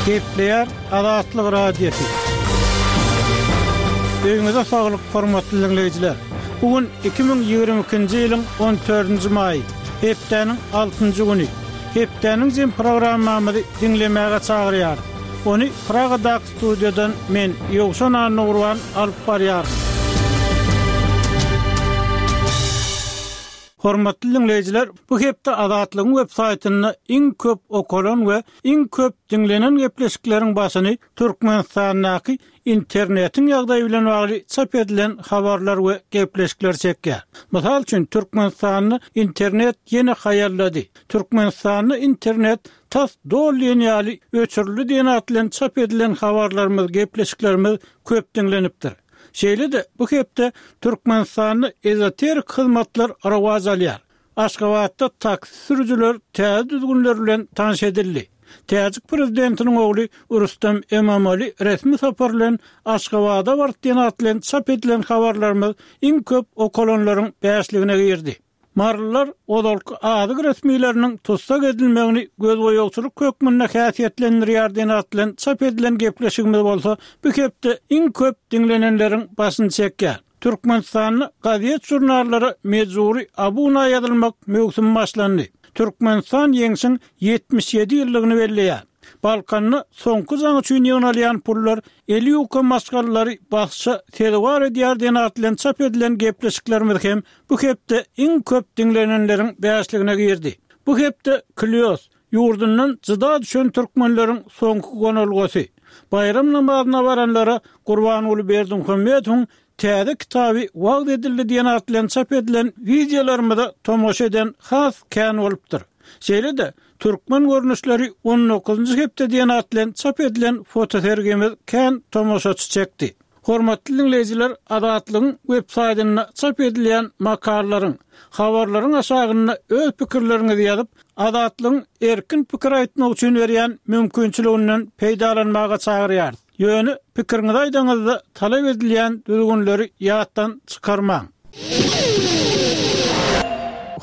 Gepleýär Azatlyk Radiosy. Öýüňize saglyk, hormatly diňleýjiler! Bu gün 2022-nji ýylyň 14-nji maýy, hepdäniň altynjy güni. Hepdäniň jem programmamyzy diňlemäge çagyrýarys. Ony Pragadaky studiýadan men, Ýowşan Annagurban alyp barýaryn. Hormatly diňleýjiler, bu hepde Azatlygyň web saýtynda iň köp okalan we iň köp diňlenen gepleşikleriň başyny Türkmenistandaky internetiň ýagdaýy bilen bagly çap edilen habarlar we gepleşikler çekýär. Mysal üçin, Türkmenistanda internet ýene haýallady, Türkmenistanda internet tas doly diýen ýaly öçürildi diýen at bilen çap edilen habarlarymyz, gepleşiklerimiz köp diňlenipdir. Şeýle-de, bu hepde Türkmenistanda ezoterik hyzmatlar rowaç alýar. Aşgabatda taksi sürüjiler täze düzgünler bilen tanyş edildi. Täjik prezidentiniň ogly Rüstem Emomali resmi sapar bilen Aşgabada bardy diýen at bilen çap edilen habarlarymyz iň köp okalanlaryň bäşligine girdi. Marylylar ozalky azyk resmileriniň tussag edilmegini gözboýagçylyk hökmünde häsiýetlendirýär diýen at bilen çap edilen gepleşigimiz bolsa bu hepde iň köp diňlenenleriň başyny çekýär. Türkmenistanda gazet-žurnallara mejbury abuna ýazylmak möwsümi başlandy. Türkmenistan Ýeňşiň 77 ýyllygyny belleýär. Balkanda soňky jaň üçin ýygnalýan pullar eli ýuka maşgalalary basyşa sezewar edýär diýen at bilen çap edilen gepleşiklerimiz hem bu hepde iň köp diňlenenleriň bäşligine girdi. Bu hepde Klýos, ýurdundan jyda düşen türkmenleriň soňky gonalgasy. Baýram namazyna baranlara Gurbanguly Berdimuhamedowyň täze kitaby wagyz edildi diýen at bilen çap edilen wideolarymyza tomaşa eden has kän bolupdyr. Şeýle-de, Türkmen görnüşleri on dokuzynjy hepde diýen at bilen çap edilen fotosergimiz kän tomaşaçy çekdi. Hormatly diňleýjiler Azatlygyň web saýtynda çap edilýän makalalaryň, habarlaryň aşagynda öz pikirleriňizi ýazyp, Azatlygyň erkin pikir aýtmak üçin berýän mümkinçiliginden peýdalanmaga çagyrýarys. Ýöne pikiriňizi aýdaňyzda talap edilýän düzgünleri ýatdan çykarmaň.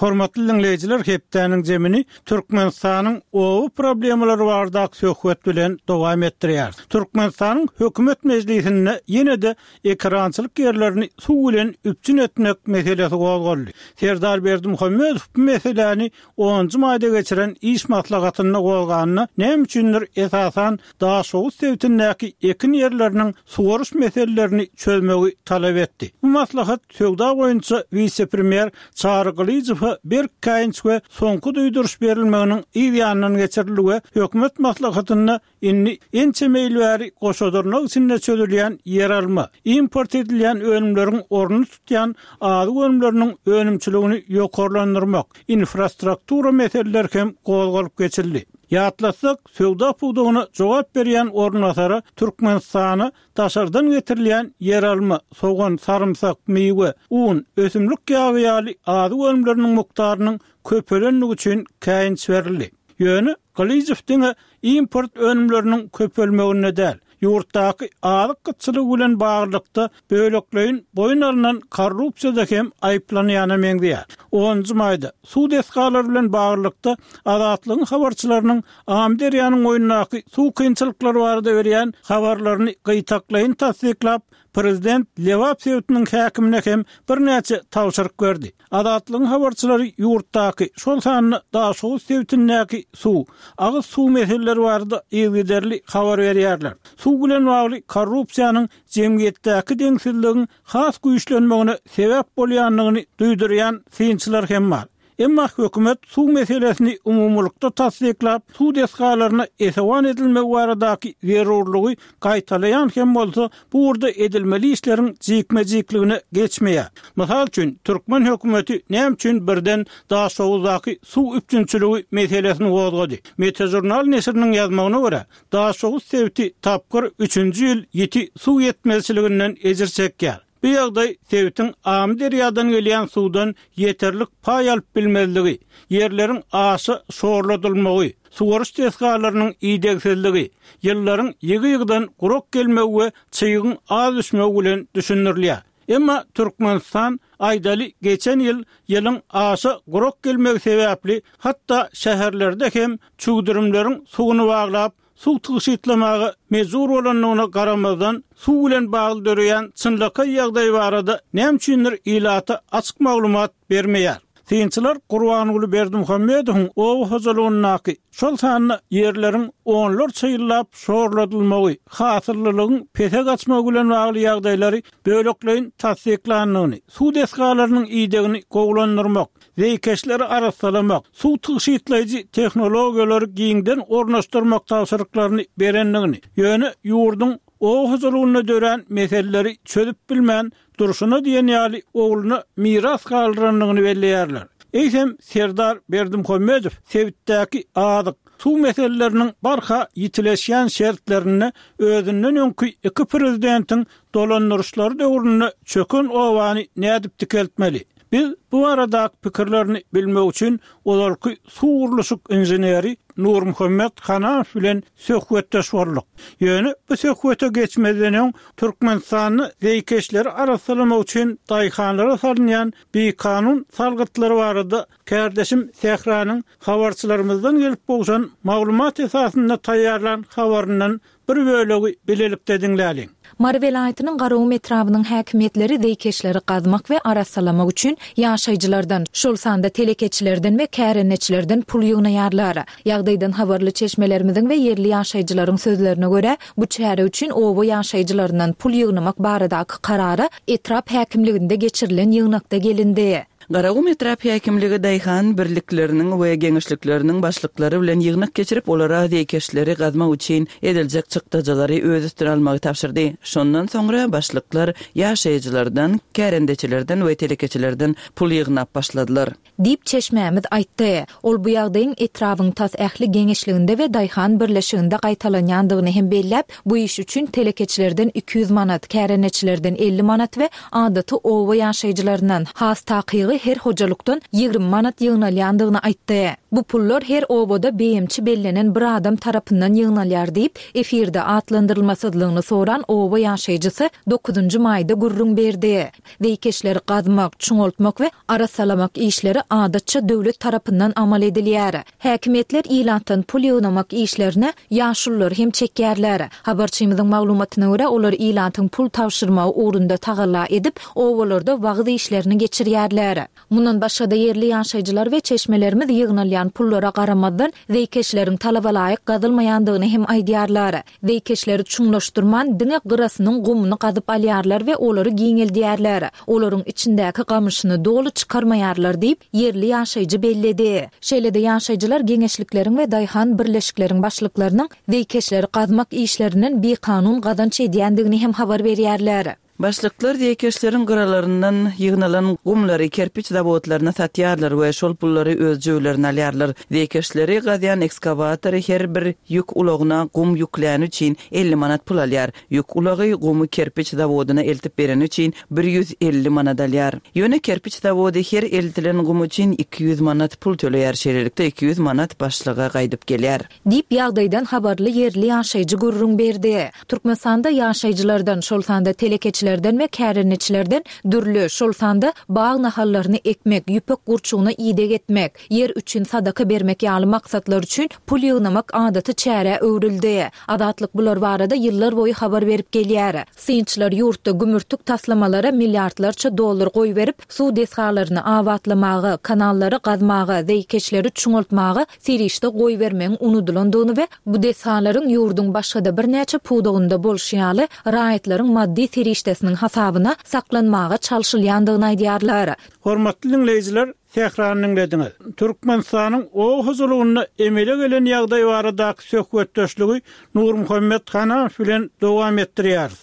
Hormatly diňleýjiler hepdäniň zemini Türkmenistanyň oba problemalary baradaky söhbet bilen dowam etdirýäris. Türkmenistanyň Hökümet mejlisinde ýene-de ekerançylyk ýerlerini suw bilen üpjün etmek meselesi gozgaldy. Serdar Berdimuhamedow bu meseläni onunjy maýda geçiren iş maslahatynda gozganda, näme üçindir esasan Daşoguz sebitindäki ekin ýerleriniň suwaryş meselelerini çözmegi talap etdi. Bu maslahat söwda boýunça wise-premýer Çary Gylyjowa berk käýinç we soňky duýduryş berilmeginiň yz ýanyndan geçirildi we hökümet maslahatynda indi ençeme ýyl bäri goşa dyrnak içinde çözülýän ýeralma, import edilýän önümleriň ornuny tutýan azyk önümleriniň önümçiligini ýokarlandyrmak, infrastruktura meseleleri hem gozgalyp geçildi. Ýatlatsak, söwda pudagyna jogap berýän orunbasara Türkmenistana daşardan getirilýän ýeralma, sogan, sarymsak, miwe, un, ösümlik ýagy ýaly azyk önümleriniň mukdarynyň köpelendigi üçin käýinç berildi. Ýöne Gylyjow diňe import önümleriniň köpelmeginde däl, ýurtdaky azyk gytçylygy bilen baglylykda bölekleýin boýun alnan korrupsiýada hem aýyplanýana meňzeýär. Onunjy maýda, suw desgalary bilen baglylykda Azatlygyň habarçylarynyň Amyderýanyň boýundaky suw kynçylyklary barada berýän habarlaryny gytaklaýyn tassyklap, prezident Lebap sebitiniň häkimine hem birnäçe tabşyryk berdi. Azatlygyň habarçylary ýurtdaky, şol sanda Daşoguz sebitindäki suw, agyz suw meseleleri barada yzygiderli habar berýärler. Suw bilen bagly korrupsiýanyň jemgyýetdäki deňsizligiň has güýçlenmegine sebäp bolýandygyny duýdurýan synçylar hem bar. Emma hökümet suw meselesini umumylykda tassyklap, suw desgalaryna esewan edilmegi baradaky zerurlygy gaýtalaýan hem bolsa, bu ugurda edilmeli işleriň jikme-jikligine geçmeýär. Mysal üçin, türkmen hökümeti näme üçin birden Daşoguzdaky suw üpjünçiligi meselesini gozgady? Metažurnal neşiriniň ýazmagyna görä, Daşoguz sebiti tapgyr üçünji ýyl ýiti suw ýetmezçiliginden ejir çekýär. Bu ýagdaý sebitiň Amyderýadan gelýän suwdan ýeterlik paý alyp bilmezligi, ýerleriň aşa şorladylmagy, suwaryş desgalarynyň idegsizligi, ýyllaryň ýygy-ýygydan gurak gelmegi we çygyň az düşmegi bilen düşündirilýär. Emma Türkmenistan, aýdaly, geçen ýyl ýylyň aşa gurak gelmegi sebäpli hatda şäherlerde hem çüwdürimleriň suwuny baglap, suw tygşytlamaga mejbur bolandygyna garamazdan, suw bilen bagly döreýän çynlakaý ýagdaý barada näme üçindir ilata açyk maglumat bermeýär. Synçylar Gurbanguly Berdimuhamedowyň oba hojalygyndaky, şol sanda ýerleriň onlarça ýyllap şorladylmagy, hasyllylygyň pese gaçmagy bilen bagly ýagdaýlary bölekleýin tassyklandygyny, suw desgalarynyň idegini gowulandyrmak, zeýkeşleri arassalamak, suw tygşytlaýjy tehnologiýalary giňden ornaşdyrmak tabşyryklaryny berendigini, ýöne ýurduň oba hojalygynda dörän meseleleri çözüp bilmän durşuna diýen ýaly ogluna miras galdyrandygyny belleýärler. Eýsem, Serdar Berdimuhamedow sebitdäki azyk, suw meseleleriniň barha ýitileşýän şertlerinde özünden öňki iki prezidentiň dolandyryşlary döwründe çöken obany nädip dikeltmeli? Biz bu baradaky pikirlerini bilmek üçin ozalky suw gurluşyk inženeri Nurmuhammet Hanamow bilen söhbetdeş bolduk. Ýöne bu söhbete geçmezden öň Türkmenistanda zeýkeşleri arassalamak üçin daýhanlara salynýan bikanun salgytlar barada kärdeşim Sähranyň habarçylarymyzdan gelip gowşan maglumat esasynda taýýarlan habaryndan Bir bölegi bilelikde diňläliň. Mary welaýatynyň Garagum etrabynyň häkimiýetleri zeýkeşleri gazmak we arassalamak üçin ýaşaýjylardan, şol sanda telekeçilerden we kärendeçilerden pul ýygnaýarlar. Ýagdaýdan habarly çeşmelerimiziň we ýerli ýaşaýjylaryň sözlerine görä, bu çäre üçin oba ýaşaýjylaryndan pul ýygnamak baradaky karara etrap häkimliginde geçirilen ýygnakda gelindi. Garagum etrap häkimligi daýhan birlikleriniň we geňeşlikleriniň başlyklary bilen ýygnak geçirip, olara zeýkeşleri gazmak üçin ediljek çykdajylary öz üstüne almagy tabşyrdy. Şondan soňra başlyklar ýaşaýjylardan, kärendeçilerden we telekeçilerden pul ýygnap başladylar. Diýip, çeşmämiz aýtdy. Ol bu ýagdaýyň etrabyň tas ähli geňeşliginde we daýhan birleşiginde gaýtalanýandygyny hem belläp, bu iş üçin telekeçilerden 200 manat, kärendeçilerden 50 manat we adaty oba ýaşaýjylaryndan, has takygy her hojalykdan 20 manat ýygnalýandygyny aýtdy. Bu pullar her obada beýemçi bellenen bir adam tarapyndan ýygnalýar diýip, efirde atlandyrylmasyzlygyny soran oba ýaşaýjysy dokuzynjy maýda gürrüň berdi. Zeýkeşleri gazmak, çuňaltmak we arassalamak işleri adatça döwlet tarapyndan amal edilýär. Häkimiýetler ilatdan pul ýygnamak işlerine ýaşululary hem çekýärler. Habarçymyzyň maglumatyna görä, olar ilatyň pul tabşyrmagy ugrunda tagalla edip, obalarda wagyz işlerini geçirýärler. Mundan başga-da, ýerli ýaşaýjylar we çeşmelerimiz ýygnalýan pullara garamazdan, zeýkeşleriň talabalaýyk gazylmaýandygyny hem aýdýarlar. Zeýkeşleri çuňlaşdyrman, diňe gyrasynyň gumuny gazyp alýarlar we olary giňeldýärler. Olaryň içindäki gamyşyny doly çykarmaýarlar diýip, ýerli ýaşaýjy belledi. Şeýle-de ýaşaýjylar geňeşlikleriň we daýhan birleşikleriň başlyklarynyň zeýkeşleri gazmak işlerinden bikanun gazanç edýändigini hem habar berýärler. Başlyklar zeýkeşleriň gyralaryndan ýygnalan gumlary kerpiç zawodlaryna satýarlar we şol pullary öz jübülerine alýarlar. Zeýkeşleri gazýan ekskawatory her bir ýük ulagyna gum ýükläni üçin 50 manat pul alýar. Ýük ulagy gumy kerpiç zawodyna eltip bereni üçin 150 manat alýar. Ýöne kerpiç zawody her eltilen gum üçin 200 manat pul töleýär, şeýlelikde 200 manat başlyga gaýdyp gelýär. Diýip, ýagdaýdan habarly ýerli ýaşaýjy gürrüň berdi. Türkmenistanda ýaşaýjylardan, şol sanda telekeçilerden we kärendeçilerden dürli, şol sanda bag nahallaryny ekmek, ýüpek gurçugyna ideg etmek, ýer üçin sadaka bermek ýaly maksatlar üçin pul ýygnamak adaty çärä öwrüldi. Azatlyk bular barada ýyllar boýy habar berip gelýär. Synçylar ýurtda gümürtik taslamalara milliardlarça dollar goýberip, suw desgalaryny abatlamaga, kanallary gazmaga, zeýkeşleri çuňaltmaga serişde goýbermegiň unudylandygyny we bu desgalaryň ýurduň başga-da birnäçe pudagynda bolşy ýaly, raýatlaryň maddy serişdesiniň hasabyna saklanmaga çalşylýandygyny aýdýarlar. Hormatly diňleýjiler, Sährany diňlediňiz. Türkmenistanyň oba hojalygynda emele gelen ýagdaý baradaky söhbetdeşligi Nurmuhammet Hanamow bilen dowam etdirýäris.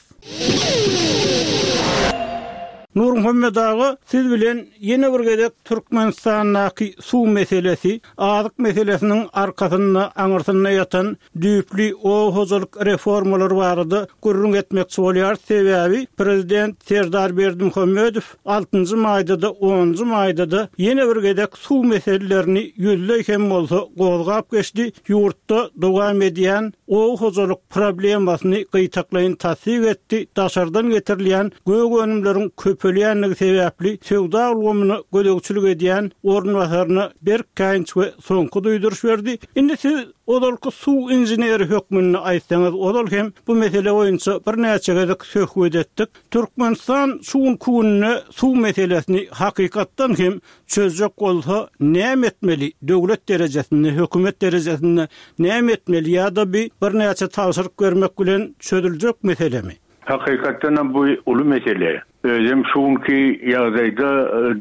Nurmuhammet aga, siz bilen ýene bir gezek Türkmenistandaky suw meselesi, azyk meselesiniň arkasynda, aňyrsynda ýatan düýpli oba hojalyk reformalary barada gürrüň etmekçi bolýarys. Sebäbi prezident Serdar Berdimuhamedow altynjy maýda-da, onunjy maýda-da ýene bir gezek suw meselelerini ýüzleý hem bolsa gozgap geçdi, ýurtda dowam edýän. oba hojalyk problemasyny gytaklaýyn tassyk etdi, daşardan getirilýän gök önümleriň köpelýändigi sebäpli söwda ulgamyna gözegçilik edýän orunbasaryna berk käýinç we soňky duýduryş berdi. Indi siz ozalky suw inženeri hökmünde aýtsaňyz, ozal hem bu mesele boýunça birnäçe gezek söhbet etdik. Türkmenistan şu günki günde suw meselesini hakykatdan hem çözjek bolsa näme etmeli, döwlet derejesinde, hökümet derejesinde näme etmeli ýa-da bi birnäçe tabşyryk bermek bilen çözüljek meselemi? Hakykatdanam bu uly mesele. Özem şu günki ýagdaýda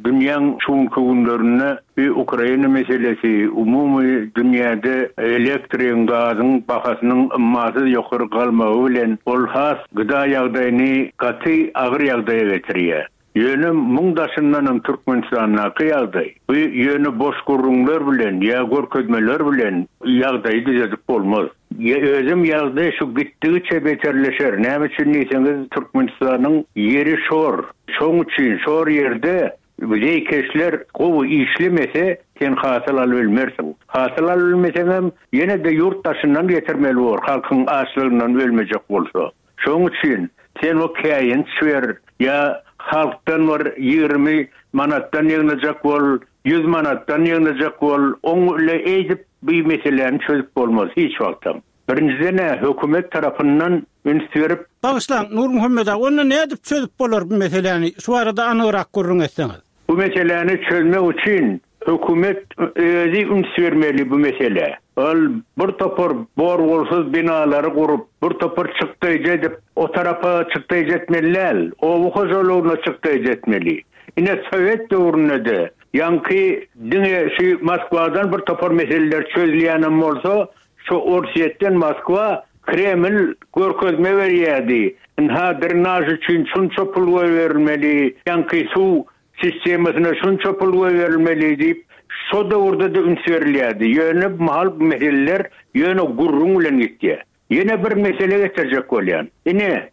dünýäň şu günki günlerinde bi Ukraina meselesi, umumy dünýäde elektrigiň, gazyň bahasynyň ymmasyz ýokary galmagy bilen ol has gıda ýagdaýyny gaty agyr ýagdaýa getirýär. Ýöne muň daşyndanam Türkmenistandaky ýagdaý, bu ýöne boş gürrüňler bilen ýa görkezmeler bilen ýagdaýy düzedip bolmaz. Özem ýagdaý şu gitdigiçe beterleşer. Näme üçin diýseňiz Türkmenistanyň ýeri şor. Şoň üçin şor ýerde zeýkeşler gowy işlemese sen hasyl alybilmersiň. Hasyl alybilmeseňem ýene-de ýurt daşyndan getirmeli bor halkyň açlygyndan ölmejek bolsa. Şoň üçin sen o käýinç ber ýa halkdan bir 20 manatdan ýygnajak bol, 100 manatdan ýygnajak bol, oň ile eýdip bi meseläni çözüp bolmaz hiç wagtam. Birinjiden-ä hökümet tarapyndan üns berip. Bagyşlaň, Nurmuhammet aga, onda nädip çözüp bolar bu meseläni, şu barada anygrak gürrüň etseňiz. Bu meseläni çözmek üçin hökümet özi üns bermeli bu meselä. Ol bir topar bor-bolsuz binalary gurup, bir topar çykdaýjy edip, o tarapa çykdaýjy etmeli däl, oba hojalygyna çykdaýjy etmeli. Ine, sowet döwründe-de ýaňky diňe şu Moskwadan bir topar meseleler çözülýänem bolsa, şu Orsýetden Moskwa, Kreml görkezme berýärdi. Ynha, drenaž üçin şunça pul goýberilmeli, ýaňky suw sistemasyna şunça pul goýberilmeli diýip, şo döwürde-de üns berilýärdi. Ýöne bu mahal bu meseleler ýöne gürrüň bilen gitýär. Ýene bir mesele getirjek bolýan. Ine,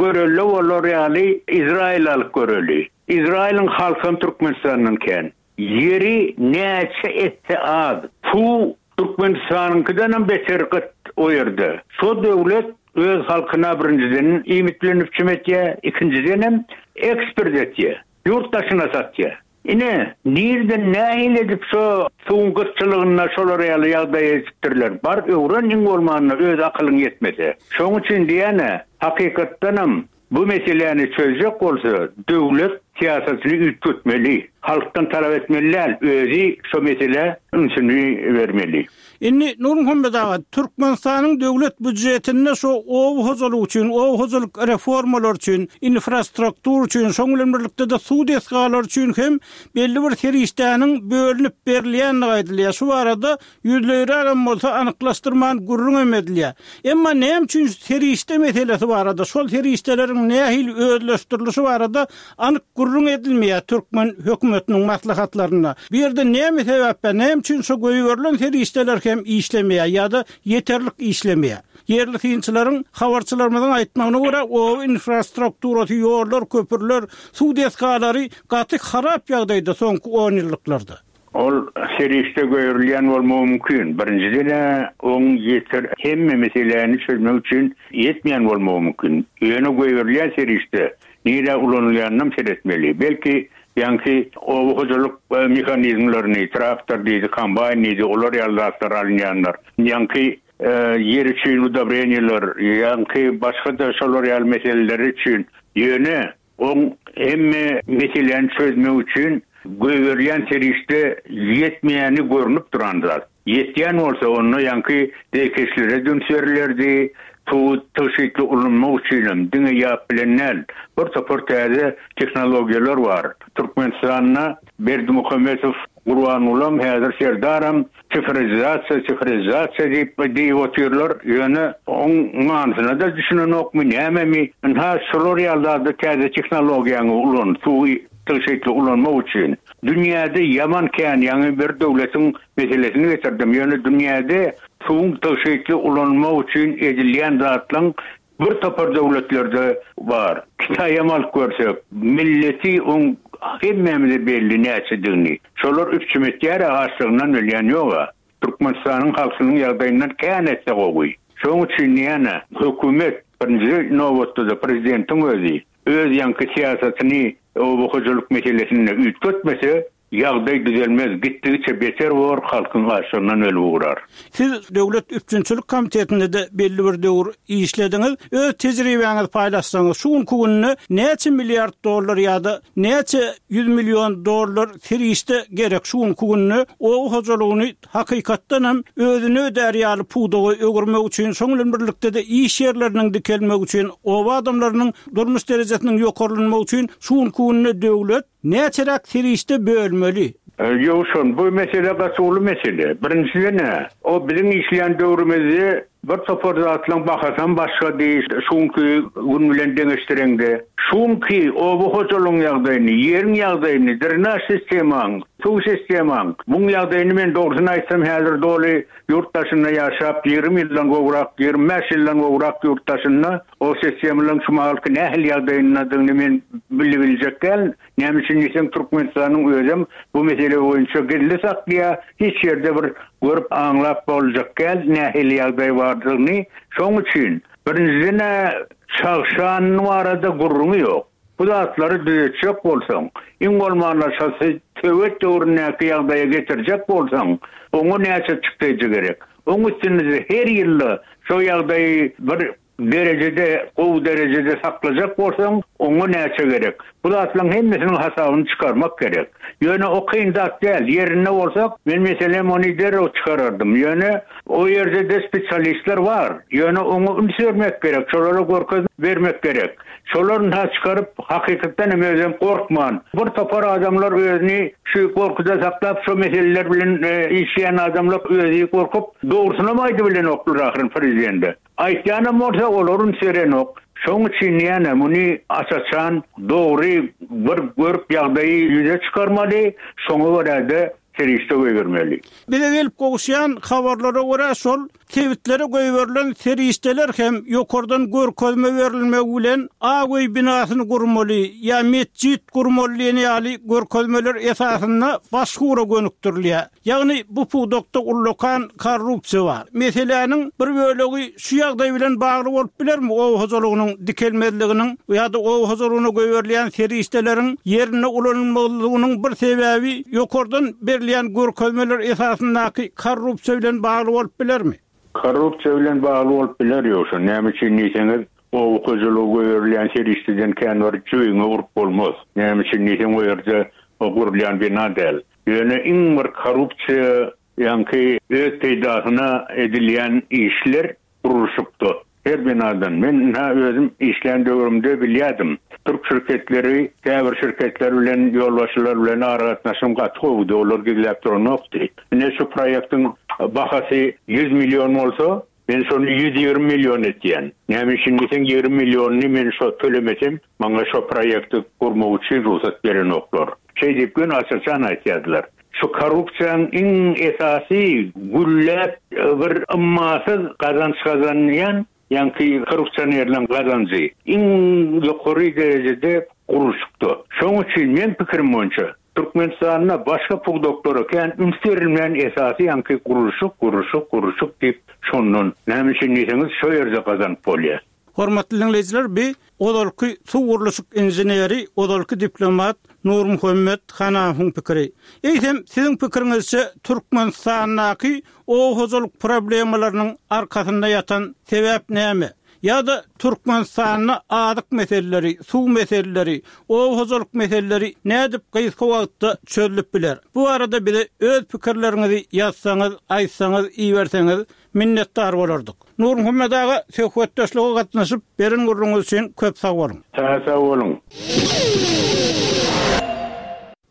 görelde bolar ýaly Izraili alyp göreli. Izrailiň halkam Türkmenistandan kän. Ýeri näçe etse az. Suw Türkmenistanyňkydanam beter gyt o ýerde. Şo döwlet öz halkyna birinjiden iýmit bilen üpjüm etýär, ikinjidenem eksport etýär. Ýurt daşyna satýar. Ine, nirden nähili edip şo suwuň gytçylygynda şolar ýaly ýagdaýa ýetipdirler. Bar öwren iň bolmanda öz akylyň ýetmese. Şoň üçin diýýän-ä, hakykatdanam Bu meseläni çözjek bolsa döwlet syýasatyny üýtgetmeli. Halkdan talap etmeli däl, özi şo meselä ünsüni bermeli. Indi Nurmuhammet aga, Türkmenistanyň döwlet býujetinde şo oba hojalygy üçin, oba hojalyk reformalary üçin, infrastruktura üçin, şoň bilen birlikde-de suw desgalary üçin hem belli bir serişdäniň bölünip berilýändigi aýdylýar. Şu barada Ýüzleýrägem bolsa anyklaşdyrman gürrüňem edilýär. Emma näme üçin şu serişde meselesi barada, şol serişdeleriň nähili özleşdirilişi barada anyk gürrüň edilmeýär türkmen hökümetiniň maslahatlarynda? Bu ýerde näme sebäp bar, näme üçin şu goýberilen serişdeler hem işlemeýär ýa-da ýeterlik işlemeýär? Ýerli synçylaryň, habarçylarymyzyň aýtmagyna görä, oba infrastrukturasy, ýollar, köprüler, suw desgalary gaty harap ýagdaýda soňky onýyllyklarda. Ol serişde goýberilýän bolmagy mümkin. Birinjiden-ä, oň ýeter hemme meseläni çözmek üçin ýetmeýän bolmagy mümkin. Ýöne goýberilýän serişde nirä ulanylýanynam seretmeli. Belki, ýaňky oba hojalyk mehanizmlerini, traktor diýdi, kombaýn diýdi, olar ýaly zatlar alynýandyr. Ýaňky ýer üçin udobreniýeler, ýaňky başga-da şolar ýaly meseleler üçin. Ýöne Oň hemme meseläni çözmek üçin goýberilýän serişde ýetmeýäni görnüp duran zat. Ýetýän bolsa onda ýaňky zeýkeşlere-de üns berilerdi, suwy tygşytly ulanmak üçinem diňe ýap bilen däl, bir topar täze tehnologiýalar bar. Türkmenistanda Berdimuhamedow Gurbangulam häzir Serdaram sifrizasiýa sifrizasiýa diýip diýip otyrlar ýöne oň manysyna-da düşünenokmy nämemi ynha şular ýaly zada täze tehnologiýaňy ulan suwy tygşytly ulanmak üçin dünýäde ýaman kän ýaňy bir döwletiň meselesini getirdim ýöne dünýäde suwuň tygşytly ulanmak üçin edilýän zatlaň Bir topar döwletlerde bar. Kitaýam alyp görsek, milleti oň hemmämize belli näçedigini. Şolar üpjüm etýär-ä açlygyndan ölýän ýog-a. Türkmenistanyň halkynyň ýagdaýyndan kän etse gowy. Şoň üçin ýene hökümet, birinji nobatda-da prezidentiň özi öz ýaňky syýasatyny oba hojalyk meselesinde üýtgetmese, ýagdaý düzelmez, gitdigiçe beter bor, halkyň açlygyndan ölüp ugrar. Siz Döwlet üpjünçilik komitetinde-de belli bir döwür işlediňiz. Öz tejribäňizi paýlaşsaňyz, şu günki günde näçe milliard dollar ýa-da näçe ýüz million dollar serişde gerek şu günki günde oba hojalygyny hakykatdan hem özüni ödär ýaly pudaga öwürmek üçin, şoň bilen birlikde-de iş ýerleriniň dikelmegi üçin, oba adamlarynyň durmuş derejesiniň ýokarlanmagy üçin şu günki günde döwlet näçeräk serişde bölmeli? Ýowşan, bu mesele gaty uly mesele. Birinjiden-ä, o biziň işleýän döwrümizde bir topar zatlaryň bahasam başgady, şu günki gün bilen deňeşdireňde. Şu günki oba hojalygyň ýagdaýyny, ýeriň ýagdaýyny, drenaž sistemaň, suw sistemaň, muň ýagdaýyny men dogrusyny aýtsam häzir doly ýurt daşynda ýaşap, 20 ýyldan gowrak, 25 ýyldan gowrak ýurt daşynda o sistemalaryň şu mahalky nähili ýagdaýyndadygyny men bilibiljek däl. Näme üçin diýseň Türkmenistanyň özem bu mesele boýunça gizli saklaýar, hiç ýerde bir görüp aňlap boljak däl nähili ýagdaý bardygyny. Şoň üçin birinjiden-ä çagşan barada gürrüňi ýok. Bu zatlary düzetjek bolsaň, iň bolmanda şo sowet döwründäki ýagdaýa getirjek bolsaň, oňa näçe çykdajy gerek. Oň üstünde-de her ýylda şo ýagdaýy bir derejede, gowy derejede saklajak bolsaň, oňa näçe gerek? Bu zatlaryň hemmesiniň hasabyny çykarmak gerek. Ýöne o kyn zat däl. Ýerinde bolsak, men meselem ony derrew çykarardym. Ýöne o ýerde-de spesialistler bar. Ýöne oňa üns bermek gerek, şolara görkezme bermek gerek. Şolar ynha çykaryp, hakykatdan hem özem gorkman, bir topar adamlar özüni şu gorkuda saklap, şo meseleler bilen işleýän adamlar özi gorkup, dogrusynam aýdybilenoklar ahyryn prezidente. Aýtýanam bolsa olar üns berenok. Şoň üçin ýene muny aç-açan, dogry bir görüp ýagdaýy ýüze çykarmaly, şoňa görä-de serişde goýbermeli. Bize gelip gowuşýan habarlara görä, şol sebitlere goýberilen serişdeler hem ýokardan görkezme berilmegi bilen Ak öý binasyny gurmaly ýa metjit gurmaly diýen ýaly görkezmeler esasynda başga ugra gönükdirilýär. Ýagny bu pudakda ullakan korrupsiýa bar. Meseläniň bir bölegi şu ýagdaý bilen bagly bolup bilermi, oba hojalygynyň dikelmezliginiň ýa-da oba hojalygyna goýberilýän serişdeleriň ýerinde ulanylmazlygynyň bir sebäbi ýokardan berilýän görkezmeler esasyndaky korrupsiýa bilen bagly bolup bilermi? Korrupsiýa bilen bagly bolup biler ýogsa, näme üçin diýseňiz, oba hojalyga goýberilýän serişdeden kän bir jübiňe urup bolmaz. Näme üçin diýseň, o ýerde o gurulýan bina däl. Ýöne iň bir korrupsiýa ýaňky öz peýdasyna edilýän işler gurluşykda. Her binadan. Men ynha özüm işlän döwrümde bilýärdim. Türk şirketleri käbir şirketler bilen ýolbaşçylar bilen aragatnaşygym gaty gowudy, olar gizläp duranokdy. Ine şu proýektiň bahasy 100 million bolsa, Men şony 120 million etýän. Näme üçin diýseň, 20 millionyny men şo tölemesem, maňa şo proýekti gurmak üçin rugsat berenoklar. Şeý diýip göni aç-açan aýtýardylar. Şu korrupsiýaň iň esasy gülläp bir ymmasyz gazanç gazanýan ýaňky korrupsionerleň gazanjy iň ýokary derejede gurluşykda. Şoň üçin meň pikirim boýunça Türkmenistanda başga pudaklara kän üns berilmän esasy ýaňky gurluşyk gurluşyk gurluşyk diýip şondan näme üçin diýseňiz şo ýerde gazanyp bolýar. Hormatly diňleýjiler bi ozalky suw gurluşyk inženeri ozalky diplomat Nurmuhammet Hanafowyň pikiri. Eýsem siziň pikiriňizçe Türkmenistandaky oba hojalyk problemalarynyň arkasynda ýatan sebäp näme? Ýa-da Türkmenistanda azyk meseleleri, suw meseleleri, oba hojalyk meseleleri nädip gysga wagtda çözlüp biler? Bu barada bize öz pikirleriňizi ýazsaňyz, aýtsaňyz, iberseňiz minnetdar bolardyk. Nurmuhammet aga söhbetdeşlige gatnaşyp beren gürrüňiz üçin köp sag boluň. Sag boluň.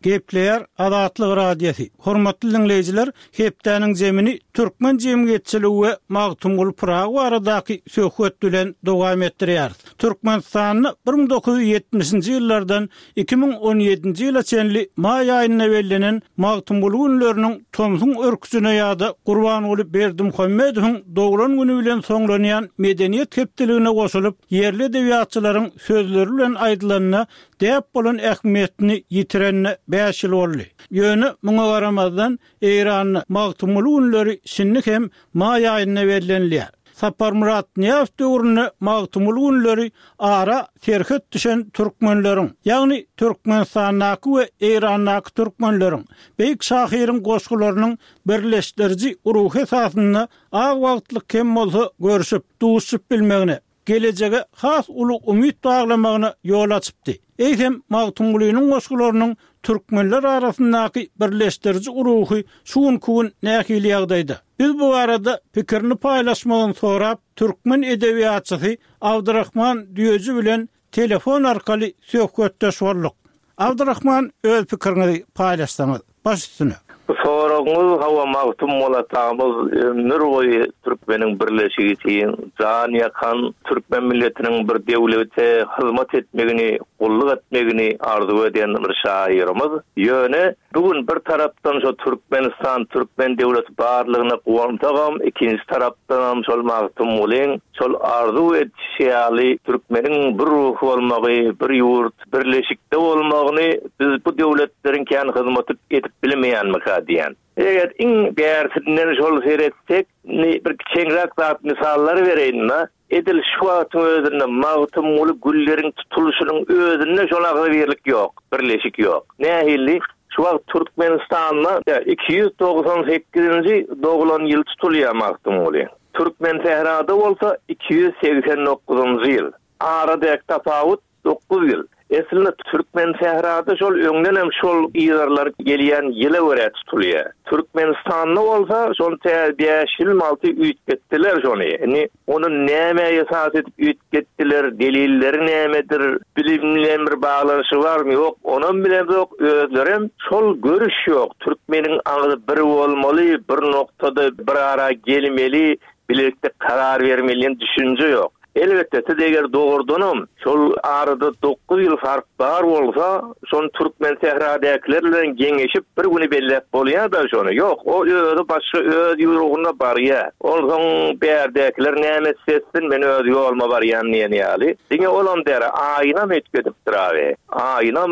Gepleýär Azatlyk Radiosy. Hormatly diňleýjiler, hepdäniň zemini türkmen jemgyýetçiligi we Magtymguly Pyragy baradaky söhbet bilen dowam etdirýäris. Türkmenistanda 1970-nji ýyllardan 2017-nji ýyla çenli maý aýynda bellenen Magtymguly günleriniň tomsuň örküjine ýa-da Gurbanguly Berdimuhamedowyň doglan güni bilen soňlanýan Medeniýet hepdeligine goşulyp, ýerli edebiýatçylaryň sözleri bilen aýdylanda, däp bolan ähmiýetini ýitirenine bäş ýyl boldy. Ýöne muňa garamazdan, Eýranda Magtymguly günleri şindi hem maý aýynda bellenilýär. Saparmyrat Nyýazow döwründe Magtymguly günleri ara serhet düşen türkmenleriň, ýagny Türkmenistandaky we Eýrandaky türkmenleriň, beýik şahyryň goşgularynyň birleşdiriji ruhy esasynda az wagtlyk hem bolsa görşüp, duşup bilmegine, gelejege has uly umyt baglamagyna ýol açypdy. Eýsem, Magtymgulynyň goşgularynyň türkmenler arasyndaky birleşdiriji ruhy şu günki gün nähili ýagdaýda? Biz bu barada pikirini paýlaşmagyny sorap, türkmen edebiýatçysy Abdyrahman Düýeji bilen telefon arkaly söhbetdeş bolduk. Abdyrahman öz pikiriňizi paýlaşsaňyz. Baş üstüne. Bu soragyňyz hawa Magtymguly atamyz ömür boýy türkmeniň birleşigi üçin jan ýakan, türkmen milletiniň bir döwlete hyzmat etmegini, gulluk etmegini arzuw eden bir şahyrymyz. Ýöne bu gün bir tarapdan şo Türkmenistan, türkmen döwleti barlygyna guwansagam, ikinji tarapdanam şol Magtymgulyň şol arzuw edişi ýaly türkmeniň bir ruh bolmagy, bir ýurt, birleşikde bolmagyny biz bu döwletleriň kän hyzmaty edip bilmeýänmika diýýän. Eger iň bärsinden şol seretsek, indi bir kiçeňräk zat mysallar bereýin-de, edil şu wagtyň özünde Magtymguly gülleriň tutulyşynyň özünde şol agzybirlik ýok, birleşik ýok. Nähili? Şu wagt Türkmenistanda 298-nji doglan ýyl tutulýar Magtymguly. Türkmensährada bolsa 289-njy ýyl. Aradäki tapawut 9 ýyl. Eslinde Türkmensährada şol öňdenem şol yzarlanyp gelýän ýyla görä tutulýar. Türkmenistanda bolsa şony tä bäş ýylmy alty üýtgetdiler şony. Indi ony nämä esas edip üýtgetdiler, delilleri nämedir, bilim bilen bir baglanyşygy barmy ýok onam bilemzok, özlerem şol görüş ýok. Türkmeniň agzy bir bolmaly, bir noktada bir ara gelmeli, bilelikde karar bermeli diýen düşünje ýok. Elbetde, siz eger dogrudanam şol arada dokuz ýyl fark bar bolsa, şony Türkmensähradäkiler bilen geňeşip bir güni belläp bolýar-da şony. Ýok, o özi başga öz ýurugynda barýar. Onsoň bärdäkiler näme etse etsin, men öz ýoluma barýan diýen ýaly. Diňe olam däl, aýynam üýtgedipdir abi. Aýynam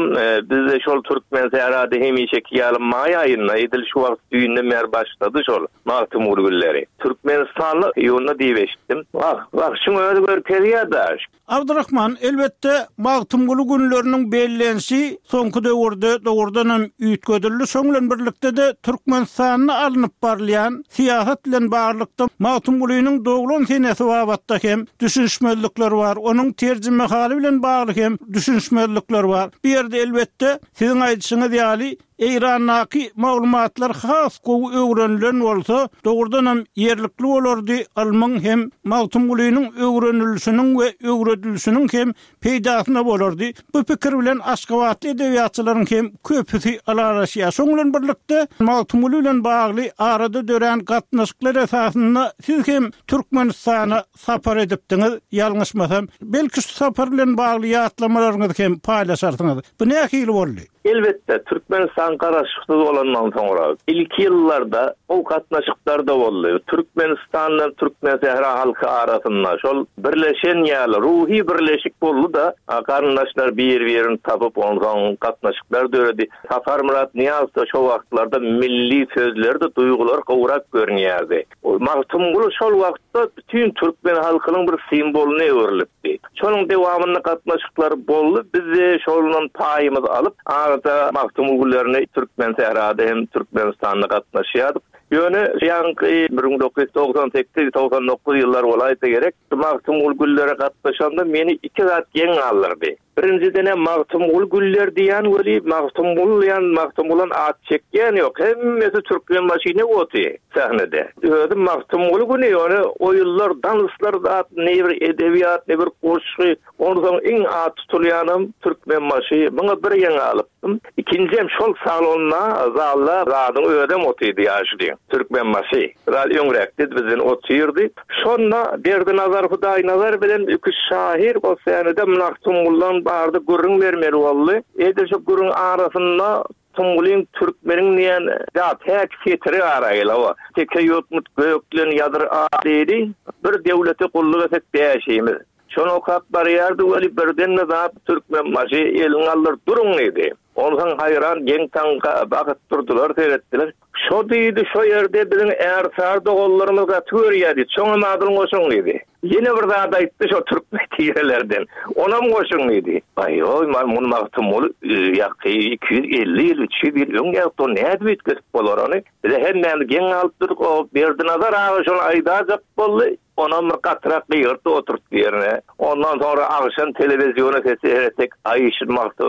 bizde şol Türkmensährada hemişeki ýaly maý aýynda, edil şu wagt düýnden bäri başlady şol. Magtymguly gülleri. Türkmenistanly iýunda diýip eşitdim. Wah, wah, şuň özi görkezýär-dä. Abdyrahman, elbetde, Magtymguly günleriniň bellenişi soňky döwürde dogrudanam üýtgedildi. Şoň bilen birlikde-de Türkmenistanda alnyp barylýan syýasat bilen baglylykda Magtymgulynyň doglan senesi babatda hem düşünişmezlikler bar. Onuň terjimehaly bilen bagly hem düşünişmezlikler bar. Bu ýerde, elbetde, siziň aýdyşyňyz ýaly, Eýrandaky maglumatlar has gowy öwrenilen bolsa, dogrudanam ýerlikli bolardy, ylmyň hem Magtymgulynyň öwrenilişiniň we öwredilişiniň hem peýdasyna bolardy. Bu pikir bilen aşgabatly edebiýatçylaryň hem köpüsi ylalaşýar. Şoň bilen birlikde, Magtymguly bilen bagly arada dörän gatnaşyklar esasynda siz hem Türkmenistana sapar edipdiňiz, ýalňyşmasam. Belki şu sapar bilen bagly ýatlamalaryňyzy hem paýlaşarsyňyz. Bu nähili boldy? Elbetde, Türkmenistan garaşsyz bolandan soňra, ilki ýyllarda gowy gatnaşyklar-da boldy. Türkmenistan bilen Türkmensähra halky arasynda şol birleşen ýaly ruhy birleşik boldy-da, garyndaşlar bir-birini tapyp, onsoň gatnaşyklar döredi. Saparmyrat Nyýazow-da şo wagtlarda milli sözler-de, duýgular gowrak görünýärdi. Magtymguly şol wagtda bütin türkmen halkynyň bir simwolyna öwrülipdi. Şonuň dowamynda gatnaşyklar boldy, biz-de şondan paýymyzy alyp, arada Magtymguly günlerine Türkmensährada hem Türkmenistanda gatnaşýardyk. Ýöne ýaňky 1998, 99 ýyllar bolaýsa gerek, Magtymguly günlere gatnaşanda meni iki zat geň galdyrdy. Birinjiden-ä Magtymguly güller diýýän weli, Magtymguly diýýän, Magtymgulan at çekýän ýok. Hemmesi Türkmenbaşyny oty sahnede. Özi Magtymguly güni ýöne oýunlar, danslar zat, ne bir edebiýat, ne bir goşgy. Onsoň iň at tutulýanam Türkmenbaşy. Muňa bir geň galypdym. Ikinjiem şol salonda, zalda zadyň özem otydy ýaşuly. Türkmenbaşy. Biraz öňräkdi, bizden otyrdy. Şonda Berdinazar Hudaýnazar bilen iki şahyr o sänede Magtymgulydan barada gürrüň bermeli boldy. Edil şu gürrüň arasynda Tymgulyň türkmeniň diýen zat häk setiri ara geldi. Hawa, teke ýokmut göklen ýazyr a diýdi. Bir döwlete gulluk etsek bäşimiz. Şony okap barýardy weli birden-de zat Türkmenbaşy elini galdyryp duruň diýdi. Onsoň haýran geň-taň bakyp durdular, seretdiler. Şo diýdi, şo ýerde biziň ärsary doganlarymyz gaty görýär diýdi. Şoňam adyny goşuň diýdi. Ýene bir zat aýtdy şo türkmen tirelerden. Onam goşuň diýdi. Aý-oý, muny Magtymguly ýaky 250 ýyl, 300 ýyl öň ýazypdy, ony nädip üýtgedip bolar ony? Bize hemmämiz geň galyp durduk. O Berdinazar aga şony aýdajak boldy. Onam bir gatyrak gygyrtdy oturtdy ýerine. Ondan soňra agşam telewiziona seretsek, aý şu Magty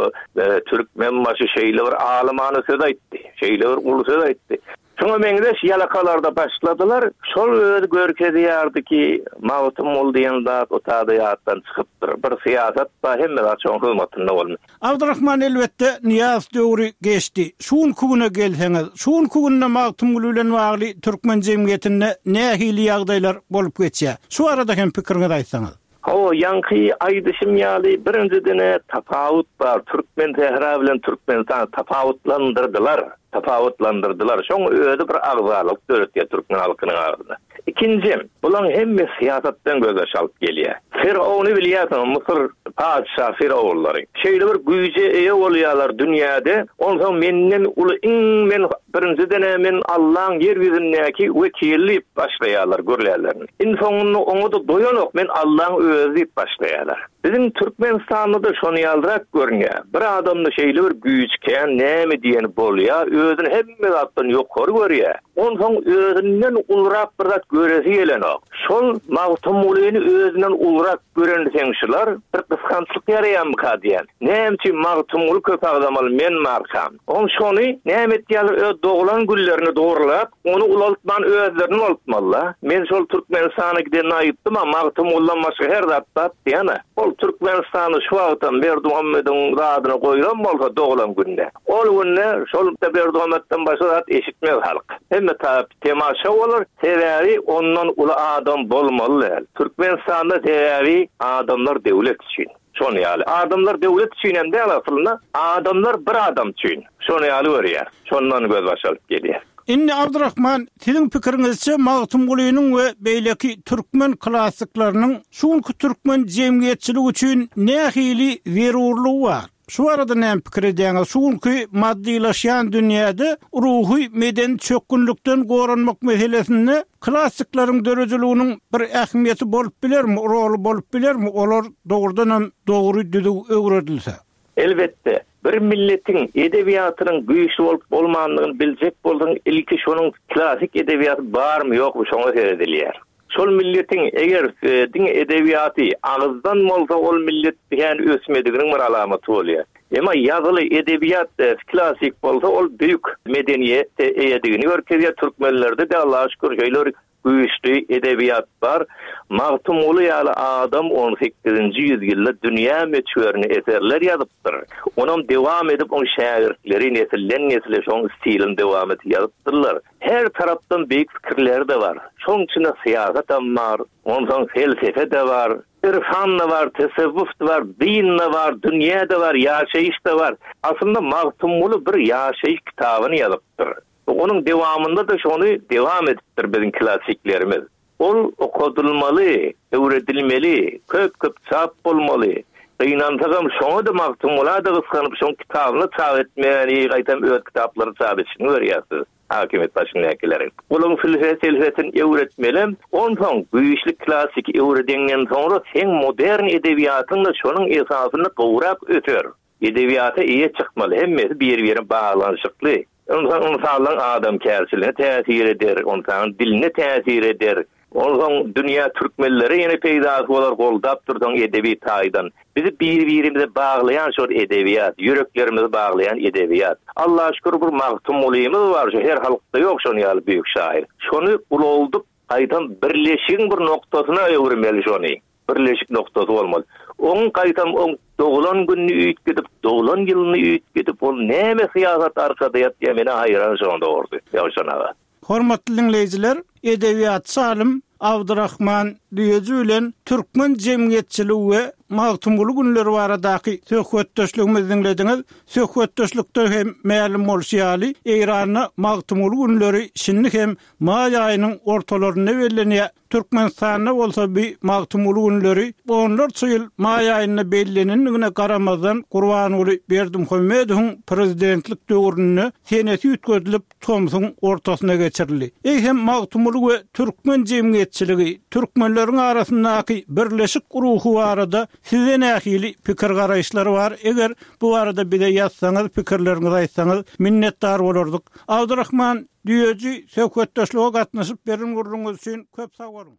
Türkmenbaşy şeýle bir alymana söz aýtdy, şeýle bir uly söz aýtdy. Şuňa meňzeş ýalakalarda başladylar. Şol özi görkezýärdi ki, Magtymguly diýen zat o tada ýatdan çykypdyr. Bir syýasat bar, hemme zat şoň hyzmatynda bolmaly. Abdyrahman elbetde Nyýazow döwri geçdi. Şu günki güne gelseňiz, şu günki günde Magtymguly bilen bagly türkmen jemgyýetinde nähili ýagdaýlar bolup geçýär? Şu barada hem pikiriňizi aýtsaňyz. Hawa, ýaňky aýdyşym ýaly, birinjiden-ä tapawut bar, Türkmensähra bilen Türkmenistany tapawutlandyrdylar, tapawutlandyrdylar. Şoň özi bir agzalyk döretýär türkmen halkynyň arasynda. Ikinjim, bulaň hemmesi syýasatdan gözbaş alyp gelýär. Firowny bilýärsiňiz, Müsür patyşa firowunlary. Şeýle bir güýje eýe bolýarlar dünýäde, onsoň menden uly iň men birinjiden-ä men Allaň ýer ýüzündäki wekili diýip başlaýarlar gürlärlerini. Iň soňunda oňa-da doýanok men Allaň özi diýip başlaýarlar. Biziň Türkmenistanda-da şony ýalyrak görünýär. Bir adamda şeýle bir güýç kän näme diýeni bolýar, özüni hemme zatdan ýokary görýär. Onsoň özünden ulurak bir zat göresi gelenok. Şol Magtymgulyny özünden ulurak görenseň şular bir gysgançlyk ýaraýamyka diýän. Näme üçin Magtymguly köp agzamaly men barkam. Oň şony näme etýärler öz doglan günlerini dogrulap ony ulaltman özlerini ulaltmalyda. Men şol Türkmenistana gidende aýypdym-a Magtymgulydan başga her zat bar diýýän-ä. Ol Türkmenistanda şu wagtam Berdimuhamediň zadyny goýlan bolsa doglan gününe. Ol günde şol Berdimuhamedden başga zat eşitmez halk. Hemme tarap temaşa bolar. Sebäbi ondan uly adam bolmaly däl. Türkmenistanda sebäbi adamlar döwlet üçin. Şony ýaly. Adamlar döwlet üçin hem däl aslynda. Adamlar bir adam üçin. Şony ýaly görýär. Şondan gözbaş alyp gelýär. Indi Abdyrahman, siziň pikiriňizçe Magtymgulynyň we beýleki türkmen klassyklarynyň şu günki türkmen jemgyýetçiligi üçin nähili zerurlygy bar? Şu barada näme pikir edýäňiz? Şu günki maddylaşýan dünýäde ruhy medeni çökgünlikden goranmak meselesinde klassyklaryň döredijiliginiň bir ähmiýeti bolup bilermi, roly bolup bilermi, olar dogrudan hem dogry düzüw öwredilse? Elbetde, bir milletiň edebiýatynyň güýçli bolup bolmandygyny biljek bolsaň ilki şonuň klassyk edebiýaty barmy ýokmy şoňa seredilýär. Şol milletiň eger diňe edebiýaty agyzdan bolsa ol millet kän ösmediginiň bir alamaty bolýar. Emma ýazyly edebiýat klassyk bolsa ol beýik medeniýete eýedigini görkezýär. Türkmenlerde-de Allaha şükür şeýle bir güýçli edebiýat bar. Magtymguly ýaly adam on sekizinji ýüzýylda dünýä möçberinde eserler ýazypdyr. Onam dewam edip oň şägirtleri nesilden-nesle şoň stilini dewam edip ýazypdyrlar. Her tarapdan beýik pikirleri-de bar. Şoň içinde syýasatam bar, onsoň felsefe-de bar, irfan-da bar, tesewwuf-da bar, din-de bar, dünýä-de bar, ýaşaýyş-da bar. Aslynda Magtymguly bir ýaşaýyş kitabyny ýazypdyr. Onuň dewamynda-da şony dewam edipdir biziň klassiklerimiz. Ol okadylmaly, öwredilmeli, köp-köp çap bolmaly. Gynansagam şoňa-da Magtymgula-da gysganyp şoň kitabyny çap etmäni gaýtam öz kitaplaryny çap edişini görýäs biz hakimiýet başyndakileriň. Olaň filse-selsesini öwretmelem, onsoň güýçli klassiki öwredeňden soňra seň modern edebiýatyň-da şonuň esasynda gowrak öser. Edebiýata eýe çykmaly, hemmesi bir-birine baglanyşykly. Ynsan ynsanlaryň adamkärçiligine täsir eder, ynsanyň diline täsir eder. Onsoň dünýä türkmenlere ýene peýdasy bolar goldap dursaň edebi taýdan. Bizi bir-birimize baglaýan şol edebiýat, ýüreklerimizi baglaýan edebiýat. Allaha şükür bir Magtymgulymyz bar şu her halkda ýok şon ýaly beýik şahyr. Şony ulaldyp gaýtam birleşigiň bir noktasyna öwürmeli şony. Birleşik noktasy bolmaly. Oň gaýtam oň doglan gününi üýtgedip, doglan ýylyny üýtgedip, ol näme syýasat arkada ýatýa menä haýran şoň dogrusy, Ýowşan aga. Hormatly diňleýjiler, edebiýatçy alym Abdyrahman Düýeji bilen türkmen jemgyýetçiligi we. Magtymguly günleri baradaky söhbetdeşligimizi diňlediňiz. Söhbetdeşlikde hem mälim bolşy ýaly, Eýranda Magtymguly günleri şindi hem maý aýynyň ortalarynda bellenýär. Türkmenistanda bolsa bi Magtymguly günleri onlarça ýyl maý aýynda bellenendigine garamazdan Gurbanguly Berdimuhamedowyň prezidentlik döwründe senesi üýtgedilip tomsuň ortasyna geçirildi. Eýsem Magtymguly we türkmen jemgyýetçiligi, türkmenleriň arasyndaky birleşik ruhy barada sizde nähili pikir-garaýyşlar bar? Eger bu barada bize ýazsaňyz, pikirleriňizi aýtsaňyz minnetdar bolardyk. Abdyrahman Düýeji söhbetdeşlige gatnaşyp beren gürrüňiňiz üçin köp sag boluň.